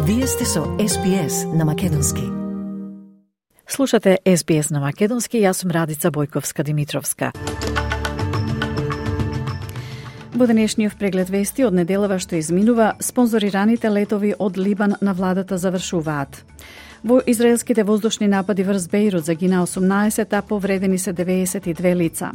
Вие сте со SBS на Македонски. Слушате SBS на Македонски, јас сум Радица Бојковска-Димитровска. Во денешниот преглед вести од неделава што изминува, спонзорираните летови од Либан на владата завршуваат. Во израелските воздушни напади врз Бејрут загина 18, а повредени се 92 лица.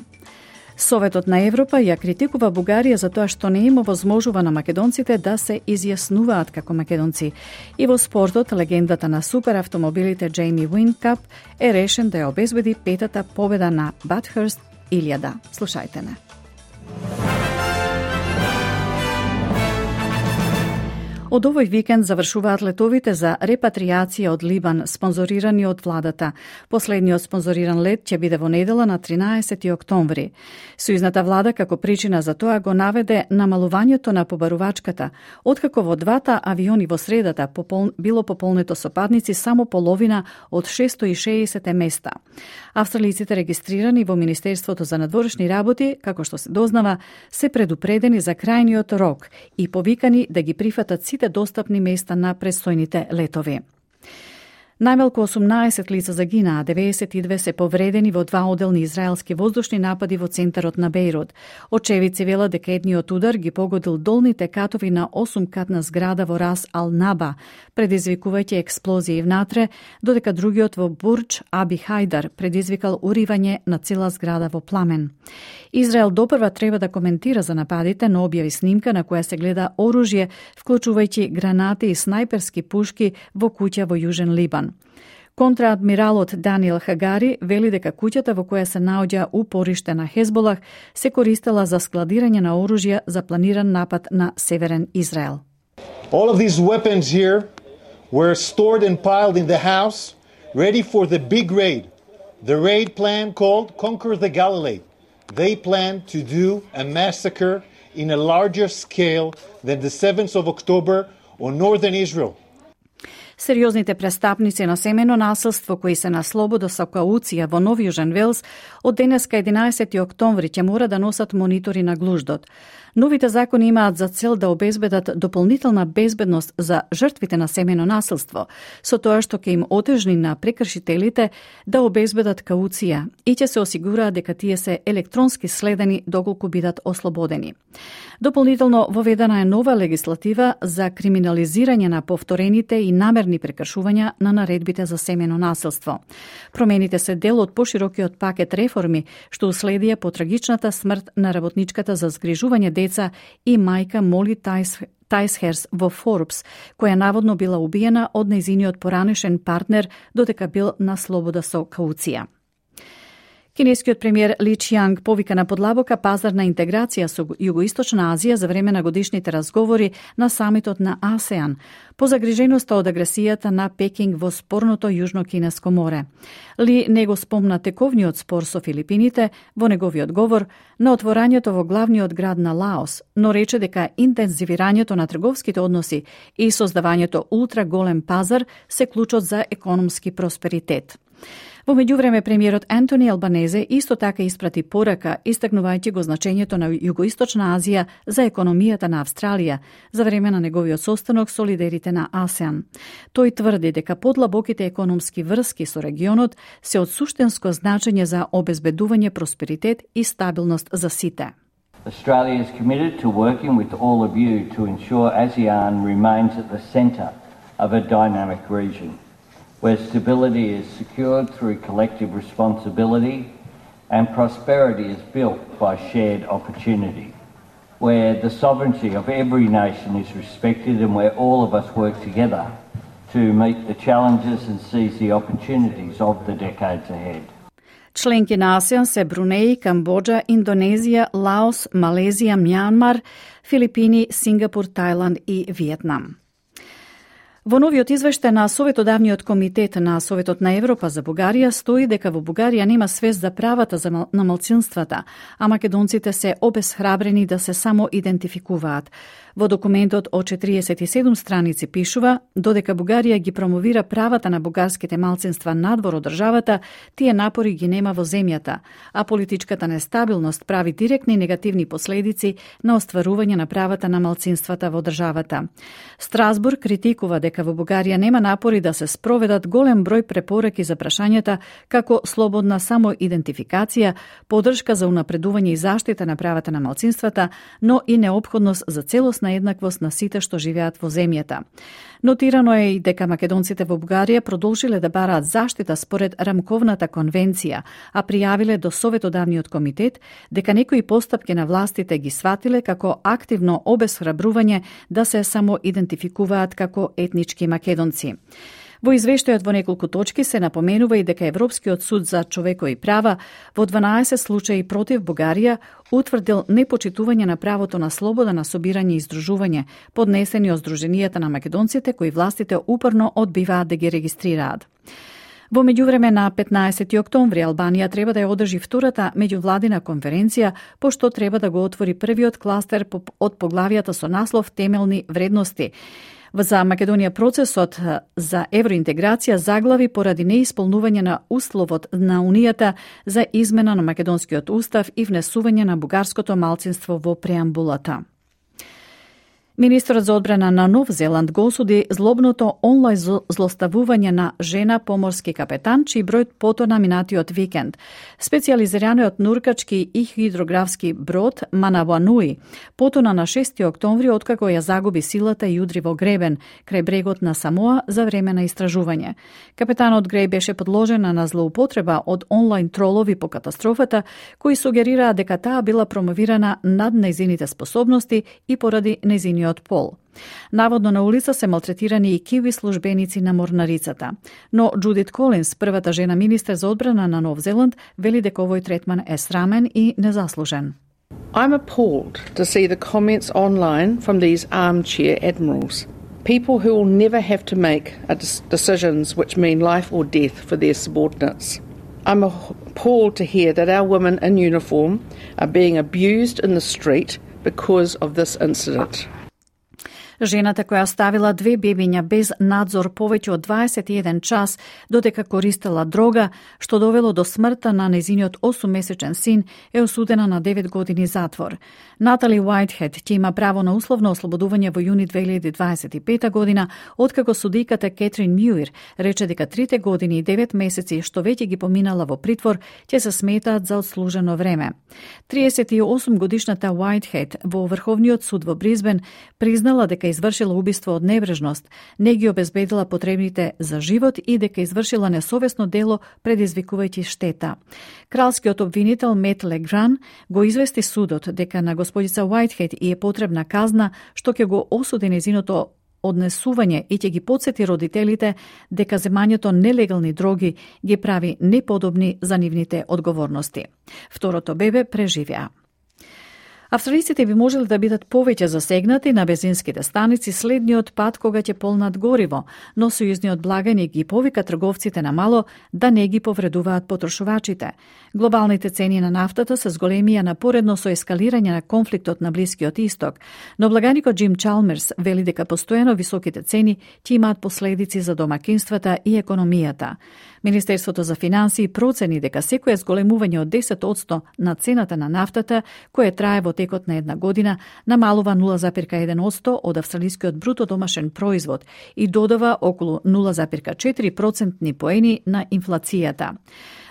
Советот на Европа ја критикува Бугарија за тоа што не им овозможува на македонците да се изјаснуваат како македонци. И во спортот, легендата на суперавтомобилите Джейми Уинкап е решен да ја обезбеди петата победа на Bathurst 1000. Слушајте не. Од овој викенд завршуваат летовите за репатријација од Либан, спонзорирани од владата. Последниот спонзориран лет ќе биде во недела на 13 октомври. Сојузната влада како причина за тоа го наведе намалувањето на побарувачката, откако во двата авиони во средата било пополнето со патници само половина од 660 места. Австралиците регистрирани во Министерството за надворешни работи, како што се дознава, се предупредени за крајниот рок и повикани да ги прифатат сите достапни места на престојните летови. Најмалку 18 лица загинаа, 92 се повредени во два оделни израелски воздушни напади во центарот на Бејрут. Очевидци велат дека едниот удар ги погодил долните катови на 8-катна зграда во Рас Ал Наба, предизвикувајќи експлозии внатре, додека другиот во Бурдж Аби Хајдар предизвикал уривање на цела зграда во пламен. Израел допрва треба да коментира за нападите, но објави снимка на која се гледа оружје, вклучувајќи гранати и снајперски пушки во куќа во Јужен Либан. Контраадмиралот Даниел Хагари вели дека куќата во која се наоѓа упориште на Хезболах се користела за складирање на оружје за планиран напад на Северен Израел. All of these weapons here were stored and piled in the house, ready for the big raid. The raid plan called Conquer the Galilee. They plan to do a massacre in a larger scale than the 7th of October on northern Israel. Сериозните престапници на семено насилство кои се на слобода со кауција во Нов Јужен Велс од денеска 11 октомври ќе мора да носат монитори на глуждот. Новите закони имаат за цел да обезбедат дополнителна безбедност за жртвите на семено насилство, со тоа што ќе им отежни на прекршителите да обезбедат кауција и ќе се осигураат дека тие се електронски следени доколку бидат ослободени. Дополнително воведена е нова легислатива за криминализирање на повторените и намерни прекршувања на наредбите за семено насилство. Промените се дел од поширокиот пакет реформи што уследија по трагичната смрт на работничката за згрижување деца и мајка Моли Тајсхерс во Форбс, која наводно била убиена од нејзиниот поранешен партнер додека бил на слобода со кауција. Кинескиот премиер Ли Чијанг повика на подлабока пазарна интеграција со Југоисточна Азија за време на годишните разговори на самитот на АСЕАН, по загриженоста од агресијата на Пекинг во спорното Јужно-Кинеско море. Ли не го спомна тековниот спор со Филипините во неговиот говор на отворањето во главниот град на Лаос, но рече дека интензивирањето на трговските односи и создавањето ултраголем пазар се клучот за економски просперитет. Во меѓувреме, премиерот Антони Албанезе исто така испрати порака, истакнувајќи го значењето на Југоисточна Азија за економијата на Австралија за време на неговиот состанок со лидерите на АСЕАН. Тој тврди дека подлабоките економски врски со регионот се од суштинско значење за обезбедување просперитет и стабилност за сите. Australia is committed to working with all of you to ensure ASEAN remains at the centre of a dynamic region, where stability is secured through collective responsibility and prosperity is built by shared opportunity, where the sovereignty of every nation is respected and where all of us work together to meet the challenges and seize the opportunities of the decades ahead. Членки на АСЕАН се Брунеј, Камбоџа, Индонезија, Лаос, Малезија, Мјанмар, Филипини, Сингапур, Тајланд и Виетнам. Во новиот извештај на Советодавниот комитет на Советот на Европа за Бугарија стои дека во Бугарија нема свест за правата на малцинствата, а македонците се обесхрабрени да се само идентификуваат. Во документот од 47 страници пишува, додека Бугарија ги промовира правата на бугарските малцинства надвор од државата, тие напори ги нема во земјата, а политичката нестабилност прави директни негативни последици на остварување на правата на малцинствата во државата. Страсбург критикува дека во Бугарија нема напори да се спроведат голем број препораки за прашањата како слободна самоидентификација, поддршка за унапредување и заштита на правата на малцинствата, но и неопходност за целосна еднаквост на сите што живеат во земјата. Нотирано е и дека македонците во Бугарија продолжиле да бараат заштита според Рамковната конвенција, а пријавиле до Советодавниот комитет дека некои постапки на властите ги сватиле како активно обесхрабрување да се самоидентификуваат како етнички македонци. Во извештајот во неколку точки се напоменува и дека Европскиот суд за човекови права во 12 случаи против Бугарија утврдил непочитување на правото на слобода на собирање и издружување, поднесени од Сдруженијата на македонците кои властите упорно одбиваат да ги регистрираат. Во меѓувреме на 15 октомври Албанија треба да ја одржи втората меѓувладина конференција, пошто треба да го отвори првиот кластер од поглавијата со наслов Темелни вредности. За Македонија процесот за евроинтеграција заглави поради неисполнување на условот на Унијата за измена на македонскиот устав и внесување на бугарското малцинство во преамбулата. Министерот за одбрана на Нов Зеланд го осуди злобното онлайн злоставување на жена поморски капетан, чиј број потона минатиот викенд. Специјализираниот нуркачки и хидрографски брод Манавануи потона на 6 октомври откако ја загуби силата и удри во гребен крај брегот на Самоа за време на истражување. Капетанот Греј беше подложена на злоупотреба од онлайн тролови по катастрофата, кои сугерираа дека таа била промовирана над нејзините способности и поради нејзиниот пол. Наводно на улица се малтретирани и киви службеници на морнарицата. Но Джудит Колинс, првата жена министер за одбрана на Нов Зеланд, вели дека овој третман е срамен и незаслужен. I'm appalled to see the comments online from these armchair admirals. People who will never have to make decisions which mean life or death for their subordinates. I'm appalled to hear that our women in uniform are being abused in the street because of this incident. Жената која оставила 2 бебиња без надзор повеќе од 21 час додека користела дрога, што довело до смртта на нејзиниот 8-месечен син, е осудена на 9 години затвор. Натали Уајтхед ќе има право на условно ослободување во јуни 2025 година, откако судиката Кетрин Мјуир рече дека 3 години и 9 месеци што веќе ги поминала во притвор ќе се сметаат за одслужено време. 38 годишната Уајтхед во Врховниот суд во Бризбен признала дека извршила убиство од небрежност, не ги обезбедила потребните за живот и дека извршила несовесно дело предизвикувајќи штета. Кралскиот обвинител Мет Легран го извести судот дека на господица Уајтхед и е потребна казна што ќе го осуди нејзиното однесување и ќе ги потсети родителите дека земањето нелегални дроги ги прави неподобни за нивните одговорности. Второто бебе преживеа. Австралиците би можеле да бидат повеќе засегнати на бензинските станици следниот пат кога ќе полнат гориво, но сојузниот благаник ги повика трговците на мало да не ги повредуваат потрошувачите. Глобалните цени на нафтата се зголемија напоредно со ескалирање на конфликтот на Блискиот Исток, но благаникот Джим Чалмерс вели дека постојано високите цени ќе имаат последици за домакинствата и економијата. Министерството за финансии процени дека секое зголемување од 10% на цената на нафтата, кое трае во текот на една година, намалува 0,1% од австралискиот бруто домашен производ и додава околу 0,4% поени на инфлацијата.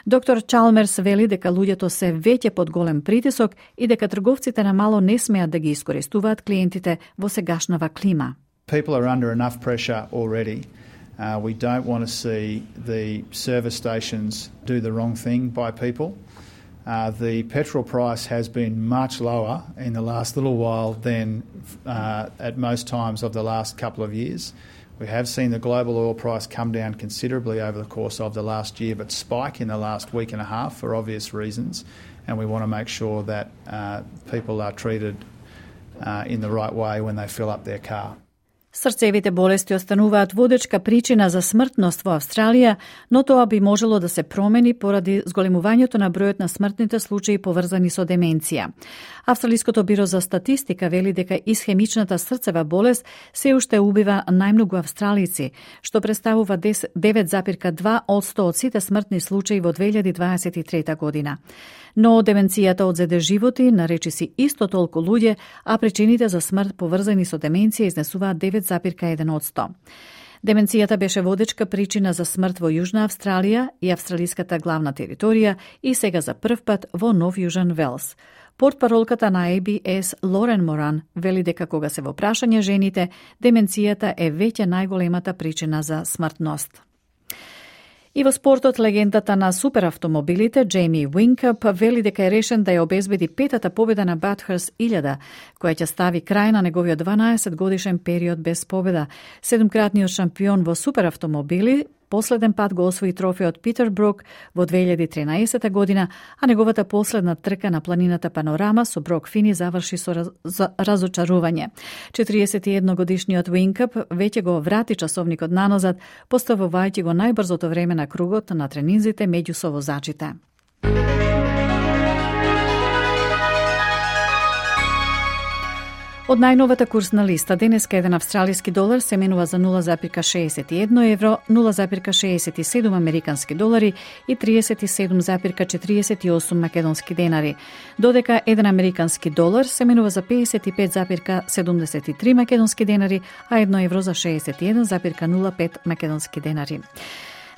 Доктор Чалмерс вели дека луѓето се веќе под голем притисок и дека трговците на мало не смеат да ги искористуваат клиентите во сегашнава клима. People are under enough pressure already. We don't want to see the service stations do the wrong thing by people. The petrol price has been much lower in the last little while than at most times of the last couple of years. We have seen the global oil price come down considerably over the course of the last year, but spike in the last week and a half for obvious reasons, and we want to make sure that people are treated in the right way when they fill up their car. Срцевите болести остануваат водечка причина за смртност во Австралија, но тоа би можело да се промени поради зголемувањето на бројот на смртните случаи поврзани со деменција. Австралиското биро за статистика вели дека исхемичната срцева болест се уште убива најмногу австралици, што представува 9,2% од сите смртни случаи во 2023 година. Но деменцијата одзеде животи на речиси исто толку луѓе, а причините за смрт поврзани со деменција изнесуваат 9,1%. Деменцијата беше водечка причина за смрт во Јужна Австралија и австралиската главна територија и сега за прв пат во Нов Јужен Велс. Портпаролката на ABS Лорен Моран вели дека кога се во прашање жените, деменцијата е веќе најголемата причина за смртност. И во спортот, легендата на суперавтомобилите Джейми Уинкъп вели дека е решен да ја обезбеди петата победа на Bathurst 1000, која ќе стави крај на неговиот 12 годишен период без победа. Седумкратниот шампион во суперавтомобили последен пат го освои трофеот Питербрук во 2013 година, а неговата последна трка на планината Панорама со Брок Фини заврши со разочарување. 41 годишниот Уинкъп веќе го врати часовникот наназад, поставувајќи го најбрзото време на кругот на тренинзите меѓу совозачите. Од најновата курсна листа, денеска еден австралиски долар се менува за 0,61 евро, 0,67 американски долари и 37,48 македонски денари, додека еден американски долар се менува за 55,73 македонски денари, а 1 евро за 61,05 македонски денари.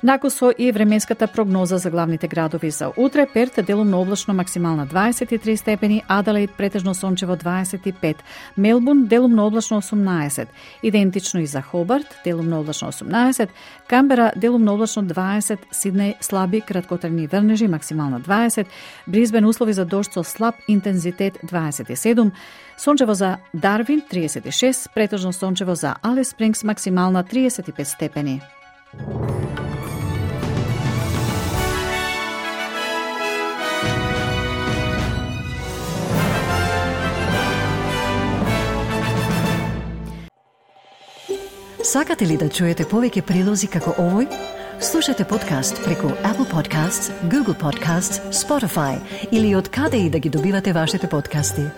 Накусо и временската прогноза за главните градови за утре: Перт делумно облачно максимална 23 степени, Аделаид претежно сончево 25, Мелбурн делумно облачно 18, идентично и за Хобарт делумно облачно 18, Камбера делумно облачно 20, Сиднеј слаби краткотрajни врнежи максимална 20, Брисбен услови за дожд со слаб интензитет 27, сончево за Дарвин 36, претежно сончево за Алис Спрингс максимална 35 степени. Сакате ли да чуете повеќе прилози како овој? Слушате подкаст преку Apple Podcasts, Google Podcasts, Spotify или од каде и да ги добивате вашите подкасти.